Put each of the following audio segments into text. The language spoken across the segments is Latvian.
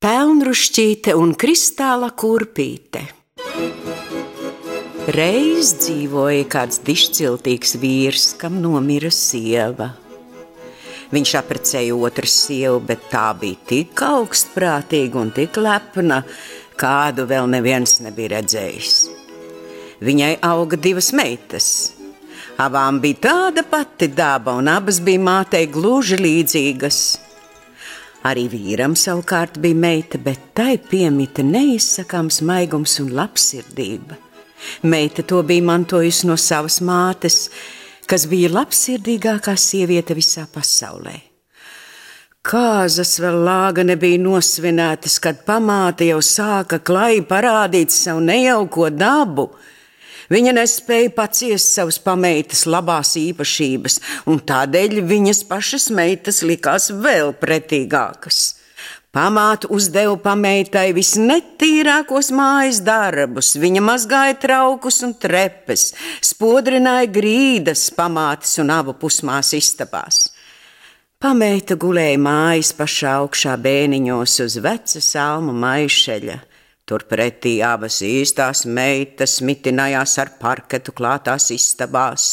Pelnrušķīte un kristāla kurpīte. Reiz dzīvoja kāds dišciltīgs vīrs, kam nomira sieva. Viņš apprecēja otru sievu, bet tā bija tik augstprātīga un tik lepna, kādu vēl neviens nebija redzējis. Viņai auga 2 meitas. Abām bija tāda pati daba, un abas bija mātei gluži līdzīgas. Arī vīram savukārt bija meita, bet tai piemita neizsakāms maigums un labsirdība. Meita to bija mantojusi no savas mātes, kas bija labsirdīgākā sieviete visā pasaulē. Kāzas vēl lāga nebija nosvinētas, kad pamāte jau sāka klai parādīt savu nejauko dabu. Viņa nespēja paciest savas pameitas labās īpašības, un tādēļ viņas pašas meitas likās vēl pretīgākas. Pamāte uzdeva pameitai visnetīrākos mājas darbus, viņa mazgāja traukus un trepes, spodrināja grīdas pamātes un abu pusmāsu istabās. Pameita gulēja mājas pašā augšā bēniņos uz veca salmu maišeļa. Turpretī abas īstās meitas mitinājās ar parketu klātās istabās.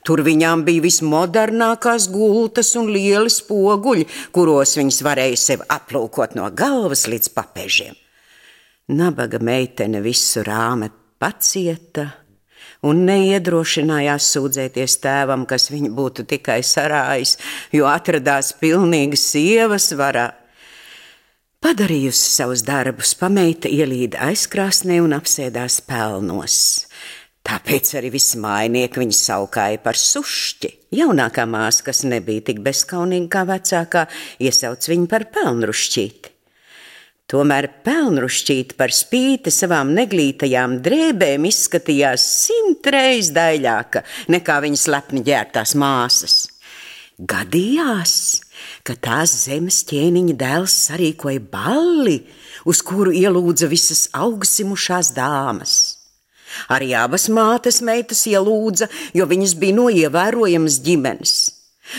Tur viņām bija vismodernākās gultas un lieli spoguļi, kuros viņas varēja sevi aplūkot no galvas līdz papežiem. Nabaga meitene visu rāme pacieta un neiedrošinājās sūdzēties tēvam, kas viņu būtu tikai sarājis, jo atradās pilnīgi sievas varā. Padarījusi savus darbus, pameita ielīda aizkrāsnē un apsēdās pelnos. Tāpēc arī visi mājnieki viņu saukāja par sušķi. Jaunākā māsa, kas nebija tik bezkaunīga kā vecākā, iesauc viņu par Pelnrušķīti. Tomēr Pelnrušķīte par spīti savām neglītajām drēbēm izskatījās 100 reiz daļāka nekā viņas lepni ģērbtās māsas. Gadījās, ka tās zemes ķēniņa dēls sarīkoja balli, uz kuru ielūdza visas augstzimušās dāmas. Arī abas mātes meitas ielūdza, jo viņas bija no ievērojamas ģimenes.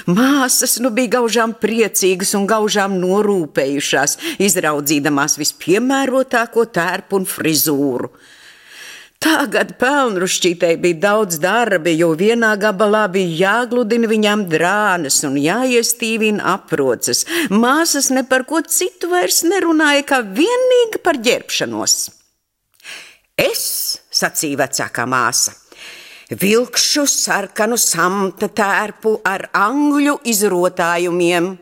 Māsas nu bija gaužām priecīgas un gaužām norūpējušās, izraudzīdamās vispiemērotāko tērpu un frizūru. Tagad Pelnrušķītei bija daudz darbi, jo vienā gabalā bija jāgludina viņām drānas un jāiestīvina aproces. Māsas ne par ko citu vairs nerunāja, kā vienīgi par ģērbšanos. Es, sacīja vecākā māsa, vilkšu sarkanu samta tērpu ar angļu izrotājumiem.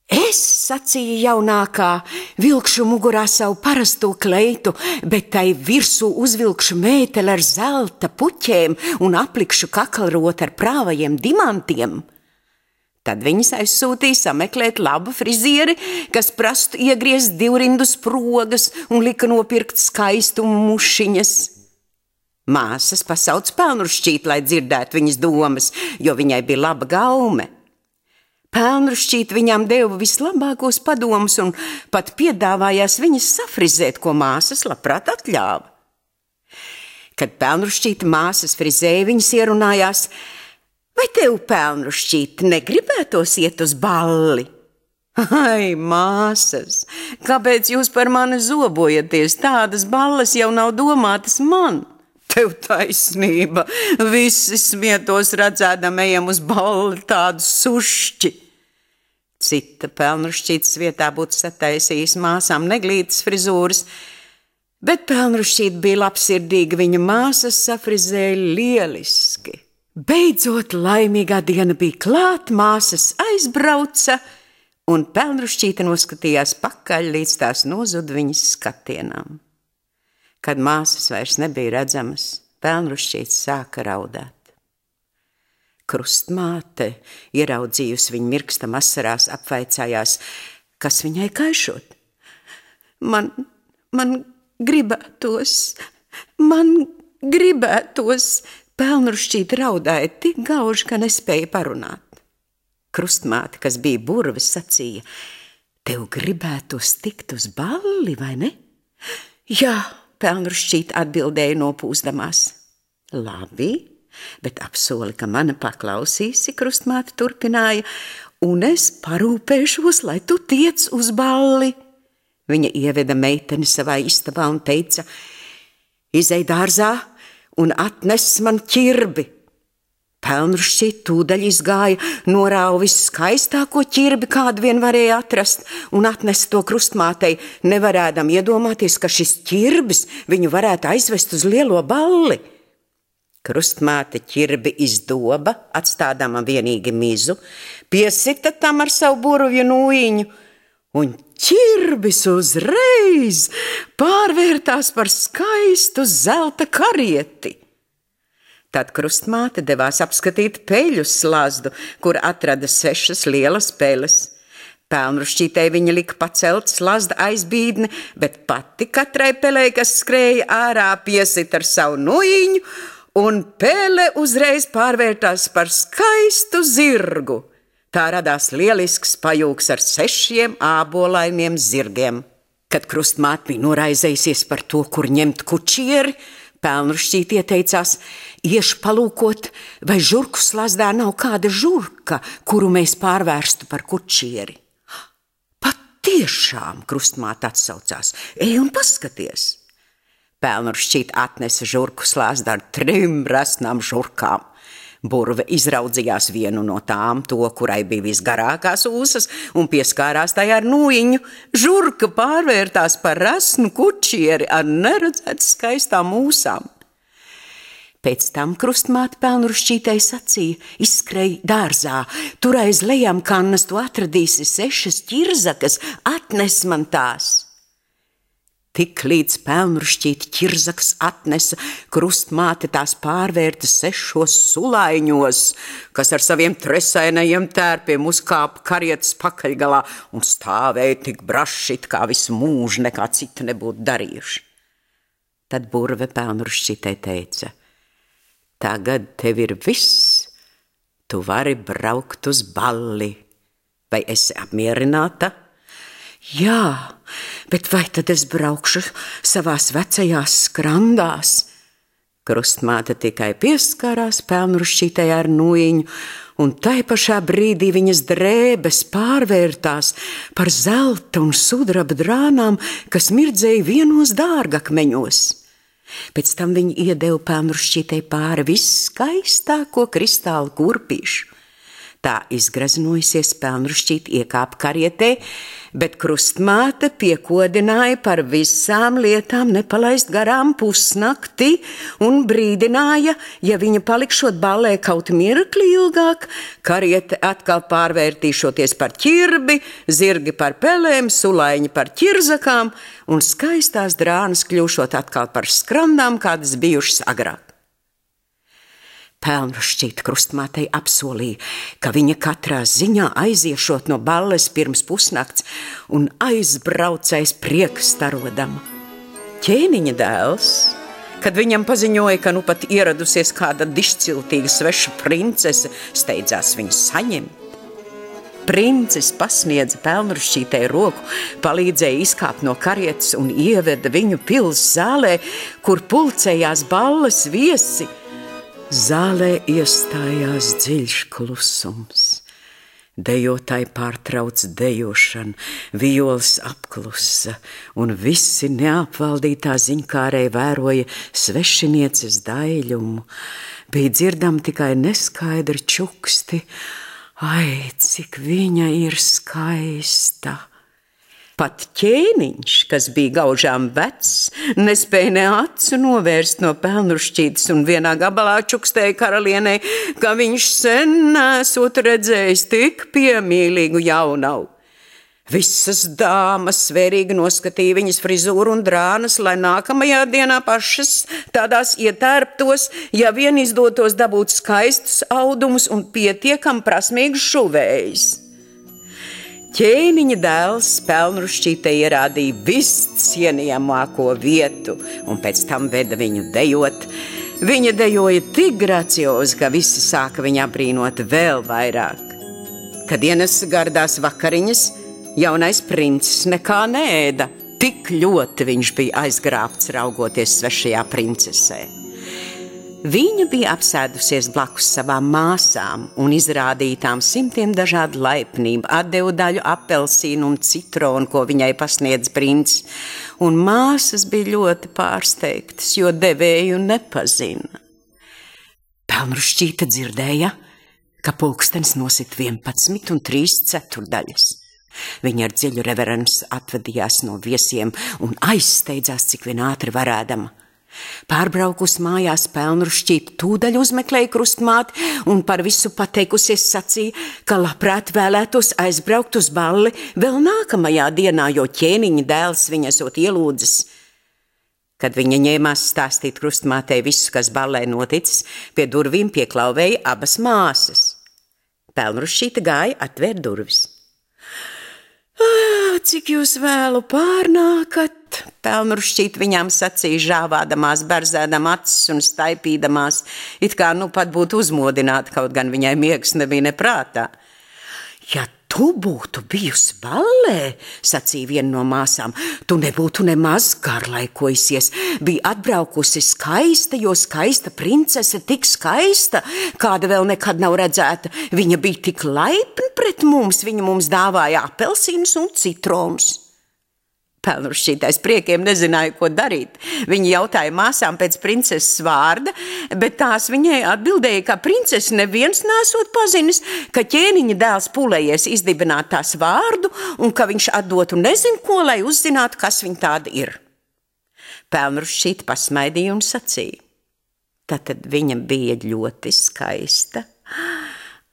Es, sacīja jaunākā, vilkšu mugurā savu parasto kleitu, bet tai virsū uzvilkšu mēteli ar zelta puķēm un aplikšu kakalroti ar prāvajiem dimantiem. Tad viņas aizsūtīja sameklēt labu frizieri, kas prastu iegriezt 2 sprogas un lika nopirkt skaistumu mušiņas. Māsas pasauc Pelnrušķīti, lai dzirdētu viņas domas, jo viņai bija laba gaume. Pelnrušķīte viņām deva vislabākos padomus un pat piedāvājās viņas safrizēt, ko māsas labprāt atļāva. Kad Pelnrušķīte māsas frizēja, viņas ierunājās: vai tev, Pelnrušķīte, negribētos iet uz balli? Ai, māsas, kāpēc jūs par mani zobojaties? Tādas balles jau nav domātas man. Tev taisnība, visi smietos redzēdam ejam uz balli tādu sušķi. Cita Pelnrušķītes vietā būtu sataisījis māsām neglītas frizūras, bet Pelnrušķīte bija labsirdīga, viņa māsas safrizēja lieliski. Beidzot laimīgā diena bija klāt, māsas aizbrauca, un Pelnrušķīte noskatījās pakaļ, līdz tās nozuda viņas skatienām. Kad māsas vairs nebija redzamas, Pelnrušķīte sāka raudāt. Krustmāte, ieraudzījusi viņu mirkstam asarās, apvaicājās, kas viņai kaišot. Man gribētos, Pelnrušķīte raudāja tik gauži, ka nespēja parunāt. Krustmāte, kas bija burvis, sacīja: tev gribētos tikt uz balli, vai ne? Jā, Pelnrušķīte atbildēja nopūsdamās. Labi, bet apsoli, ka mani paklausīsi, Krustmāte turpināja, un es parūpēšos, lai tu tiec uz balli. Viņa ieveda meiteni savā istabā un teica: izej dārzā un atnes man ķirbi. Pelnrušķī tūdaļ izgāja, norāva viskaistāko ķirbi, kādu vien varēja atrast, un atnesa to krustmātei, nevarēdam iedomāties, ka šis ķirbis viņu varētu aizvest uz lielo balli. Krustmāte ķirbi izdoba, atstādama vienīgi mizu, piesita tam ar savu burvju nūjiņu, un ķirbis uzreiz pārvērtās par skaistu zelta karieti. Tad krustmāte devās apskatīt peļu slazdu, kur atrada 6 lielas peles. Pelnrušķītei viņa lika pacelt slazda aizbīdni, bet pati katrai pelei, kas skrēja ārā, piesit ar savu nūjiņu, un pele uzreiz pārvērtās par skaistu zirgu. Tā radās lielisks pajūgs ar 6 ābolainiem zirgiem. Kad krustmāte bija noraizējusies par to, kur ņemt kučieri, Pelnrušķīte ieteicās: iešu palūkot, vai žurku slazdā nav kāda žurka, kuru mēs pārvērstu par kučieri. Patiešām, krustmāte atsaucās, ej un paskaties. Pelnrušķīte atnesa žurku slazdu ar 3 resnām žurkām. Burve izraudzījās vienu no tām, to, kurai bija visgarākās ūsas, un pieskārās tai ar nūjiņu. Žurka pārvērtās par resnu kučieri ar neredzēt skaistām ūsām. Pēc tam krustmāte Pelnrušķītei sacīja: izskrej dārzā, tur aiz lejām kannas tu atradīsi 6 ķirzakas, atnes man tās. Tik līdz Pelnrušķīte ķirzakas atnesa, krustmāte tās pārvērta 6 sulaiņos, kas ar saviem tresainajiem tērpiem uzkāpa karietas pakaļgalā un stāvēja tik brašit, kā visu mūžu nekā cita nebūtu darījuši. Tad burve Pelnrušķītei teica: tagad tev ir viss, tu vari braukt uz balli. Vai esi apmierināta? Jā, bet vai tad es braukšu savās vecajās skrandās? Krustmāte tikai pieskārās Pelnrušķītei ar nūjiņu, un tai pašā brīdī viņas drēbes pārvērtās par zelta un sudraba drānām, kas mirdzēja vienos dārgakmeņos. Pēc tam viņi iedeva Pelnrušķītei pāri visskaistāko kristālu kurpīšu. Tā izgraznojusies, Pelnrušķīte iekāpa karietē, bet krustmāte piekodināja par visām lietām nepalaist garām pusnakti un brīdināja, ja viņa palikšot ballē kaut mirkli ilgāk, kariete atkal pārvērtīšoties par ķirbi, zirgi par pelēm, sulaiņi par ķirzakām un skaistās drānas kļūšot atkal par skrandām, kādas bijušas agrāk. Pelnrušķīte krustmātei apsolīja, ka viņa katrā ziņā aiziešot no balles pirms pusnakts un aizbraucais priekstarodama. Ķēniņa dēls, kad viņam paziņoja, ka nu pat ieradusies kāda dišciltīga sveša princese, steidzās viņu saņemt. Princis pasniedza Pelnrušķītei roku, palīdzēja izkāpt no karietes un ieveda viņu pils zālē, kur pulcējās balles viesi. Zālē iestājās dziļš klusums. Dejotāji pārtrauc dejošanu, viols apklusa, un visi neapvaldītā ziņkārē vēroja svešinieces daiļumu. Bija dzirdami tikai neskaidri čuksti: ai, cik viņa ir skaista! Pat ķēniņš, kas bija gaužām vecs, nespēja ne acu novērst no Pelnrušķītes un vienā gabalā čukstēja karalienei, ka viņš sen nesot redzējis tik piemīlīgu jaunavu. Visas dāmas svērīgi noskatīja viņas frizūru un drānas, lai nākamajā dienā pašas tādās ietērptos, ja vien izdotos dabūt skaistus audumus un pietiekam prasmīgus šuvējus. Ķēniņa dēls Pelnrušķītei ierādīja viscienījamāko vietu un pēc tam veda viņu dejot. Viņa dejoja tik graciozi, ka visi sāka viņu apbrīnot vēl vairāk. Kad ienesa gardās vakariņas, jaunais princis nekā neēda. Tik ļoti viņš bija aizgrābts raugoties svešajā princesē. Viņa bija apsēdusies blakus savām māsām un izrādītām simtiem dažādu laipnību, atdevu daļu apelsīnu un citronu, ko viņai pasniedz princis, un māsas bija ļoti pārsteigtas, jo devēju nepazina. Pelnrušķīte dzirdēja, ka pulkstenis nosit 11 un 3/4. Viņa ar dziļu reverenci atvadījās no viesiem un aizsteidzās, cik vien ātri varēdama. Pārbraukus mājās Pelnrušķīte tūdaļ uzmeklēja krustmāti un par visu pateikusies sacīja, ka labprāt vēlētos aizbraukt uz balli vēl nākamajā dienā, jo ķēniņa dēls viņa esot ielūdzis. Kad viņa ņēmās stāstīt krustmātei visu, kas ballē noticis, pie durvīm pieklauvēja abas māsas. Pelnrušķīte gāja atvērt durvis. Cik jūs vēlu pārnākat? Pelnrušķīte viņām sacīja, žāvādamās, berzēdam acis un staipīdamās, it kā nu pat būtu uzmodināta, kaut gan viņai miegs nebija ne prātā. Ja tu būtu bijusi ballē, sacīja viena no māsām, tu nebūtu nemaz garlaikojusies. Bija atbraukusi skaista, jo skaista princese tik skaista, kāda vēl nekad nav redzēta. Viņa bija tik laipna pret mums, viņa mums dāvāja apelsīnus un citronus. Pelnrušķītais priekiem nezināja, ko darīt. Viņa jautāja māsām pēc princeses vārda, bet tās viņai atbildēja, ka princesi neviens nesot pazinis, ka ķēniņa dēls pūlējies izdibināt tās vārdu un ka viņš atdotu nezinu ko, lai uzzinātu, kas viņa tāda ir. Pelnrušķīte pasmaidīja un sacīja. Tātad viņa bija ļoti skaista.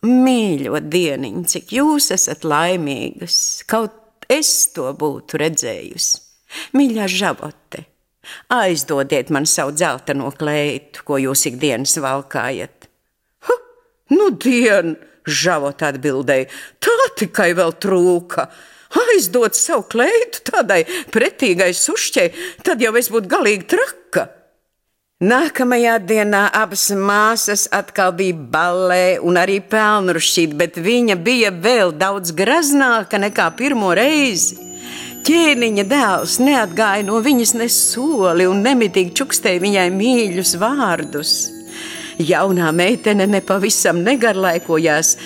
Mīļo dieniņ, cik jūs esat laimīgas, kaut es to būtu redzējusi. Mīļā Žavote, aizdodiet man savu dzelteno kleitu, ko jūs ikdienas valkājat. Nu dien, Žavote atbildēja, tā tikai vēl trūka. Aizdot savu kleitu tādai pretīgai sušķei, tad jau es būtu galīgi traka. Nākamajā dienā abas māsas atkal bija ballē un arī Pelnrušķīte, bet viņa bija vēl daudz graznāka nekā pirmo reizi. Ķēniņa dēls neatgāja no viņas ne soli un nemitīgi čukstēja viņai mīļus vārdus. Jaunā meitene nepavisam negarlaikojās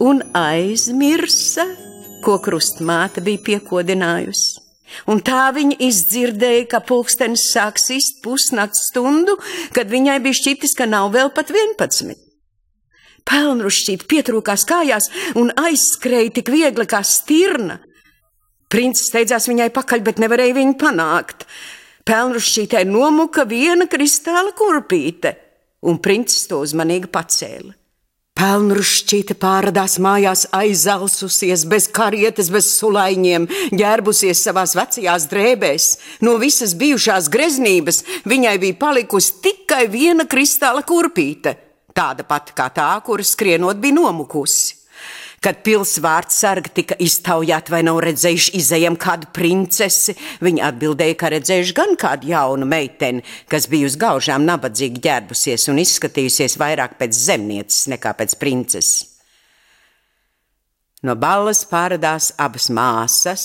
un aizmirsa, ko krustmāte bija piekodinājusi. Un tā viņa izdzirdēja, ka pulkstenis sāk sist pusnakts stundu, kad viņai bija šķitis, ka nav vēl pat 11. Pelnrušķīte pietrūkās kājās un aizskrēja tik viegli kā stirna. Princis steidzās viņai pakaļ, bet nevarēja viņu panākt. Pelnrušķītei nomuka viena kristāla kurpīte, un princis to uzmanīgi pacēla. Pelnrušķīte pārradās mājās aizalsusies, bez karietes, bez sulaiņiem, ģērbusies savās vecajās drēbēs. No visas bijušās greznības viņai bija palikusi tikai viena kristāla kurpīte, tāda pati kā tā, kura skrienot bija nomukusi. Kad pilsvārds sargi tika iztaujāti, vai nav redzējuši izejam kādu princesi, viņa atbildēja, ka redzējuši gan kādu jaunu meiteni, kas bija uz gaužām nabadzīgi ģērbusies un izskatījusies vairāk pēc zemnieces nekā pēc princeses. No balles pārradās abas māsas,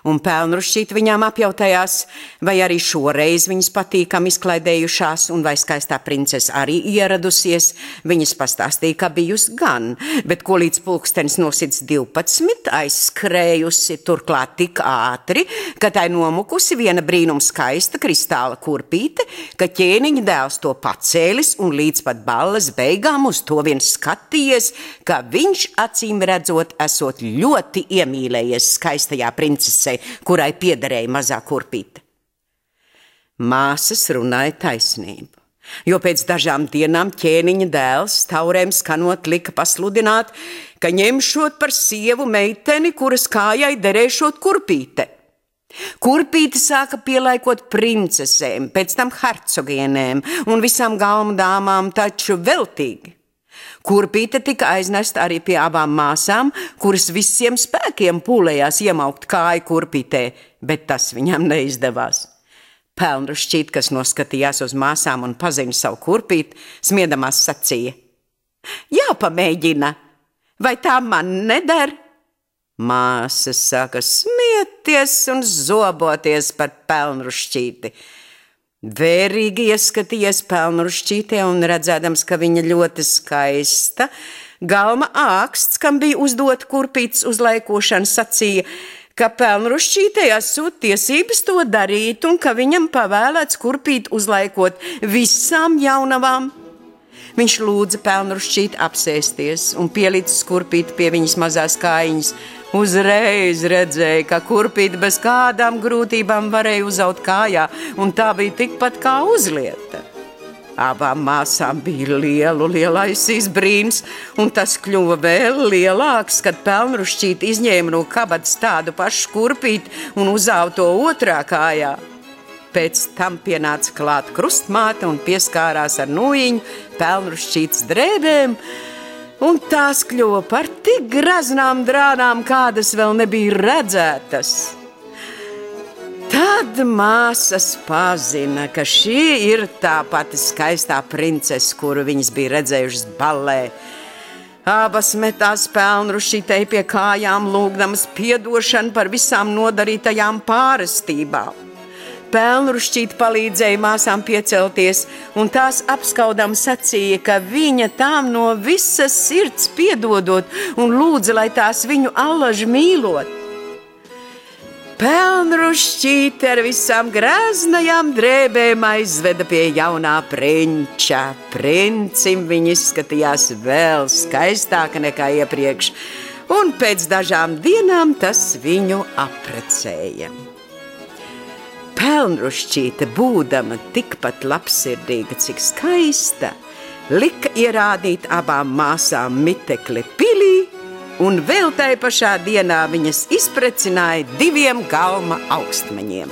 un Pelnrušķīte viņām apjautājās, vai arī šoreiz viņas patīkam izklaidējušās, un vai skaistā princese arī ieradusies. Viņas pastāstīja, ka bijusi gan, bet ko līdz pulkstenis nosits 12, aizskrējusi turklāt tik ātri, ka tai nomukusi viena brīnum skaista kristāla kurpīte, ka ķēniņa dēls to pacēlis un līdz pat balles beigām uz to vien skatījies, ka viņš acīm redzot esot ļoti iemīlējies skaistajā princesei, kurai piederēja mazā kurpīte. Māsas runāja taisnību, jo pēc dažām dienām ķēniņa dēls taurēm skanot lika pasludināt, ka ņemšot par sievu meiteni, kuras kājai derēšot kurpīte. Kurpīte sāka pielaikot princesēm, pēc tam hercogienēm un visām galmu dāmām, taču veltīgi. Kurpīte tika aiznesta arī pie abām māsām, kuras visiem spēkiem pūlējās iemaukt kāju kurpītē, bet tas viņam neizdevās. Pelnrušķīte, kas noskatījās uz māsām un pazina savu kurpīti, smiedamās sacīja: jāpamēģina, vai tā man neder? Māsas sāka smieties un zoboties par Pelnrušķīti, Vērīgi ieskatījies Pelnrušķītē un redzēdams, ka viņa ļoti skaista, Galma āksts, kam bija uzdot kurpītes uzlaikošana, sacīja, ka Pelnrušķītei esot tiesības to darīt un ka viņam pavēlēts kurpīt uzlaikot visām jaunavām. Viņš lūdza Pelnrušķīti apsēsties un pielicis kurpīti pie viņas mazās kājiņas. Uzreiz redzēja, ka kurpīti bez kādām grūtībām varēja uzaut kājā, un tā bija tikpat kā uzlieta. Abām māsām bija lielais izbrīns, un tas kļuva vēl lielāks, kad Pelnrušķīti izņēma no kabatas tādu pašu kurpīti un uzauta to otrā kājā. Pēc tam pienāca klāt krustmāte un pieskārās ar nūjiņu Pelnrušķītes drēbēm, un tās kļuva par tik graznām drānām, kādas vēl nebija redzētas. Tad māsas pazina, ka šī ir tā pati skaistā princese, kuru viņas bija redzējušas ballē. Abas metās Pelnrušķītei pie kājām, lūgdamas piedošanu par visām nodarītajām pārestībām. Pelnrušķīte palīdzēja māsām piecelties, un tās apskaudām sacīja, ka viņa tām no visas sirds piedodot un lūdza, lai tās viņu allaži mīlot. Pelnrušķīte ar visām graznajām drēbēm aizveda pie jaunā prinča. Princim viņa izskatījās vēl skaistāka nekā iepriekš, un pēc dažām dienām tas viņu apprecēja. Pelnrušķīte, būdama tikpat labsirdīga, cik skaista, lika ierādīt abām māsām mitekli pilī, un vēl tai pašā dienā viņas izprecināja 2 galma augstmaņiem.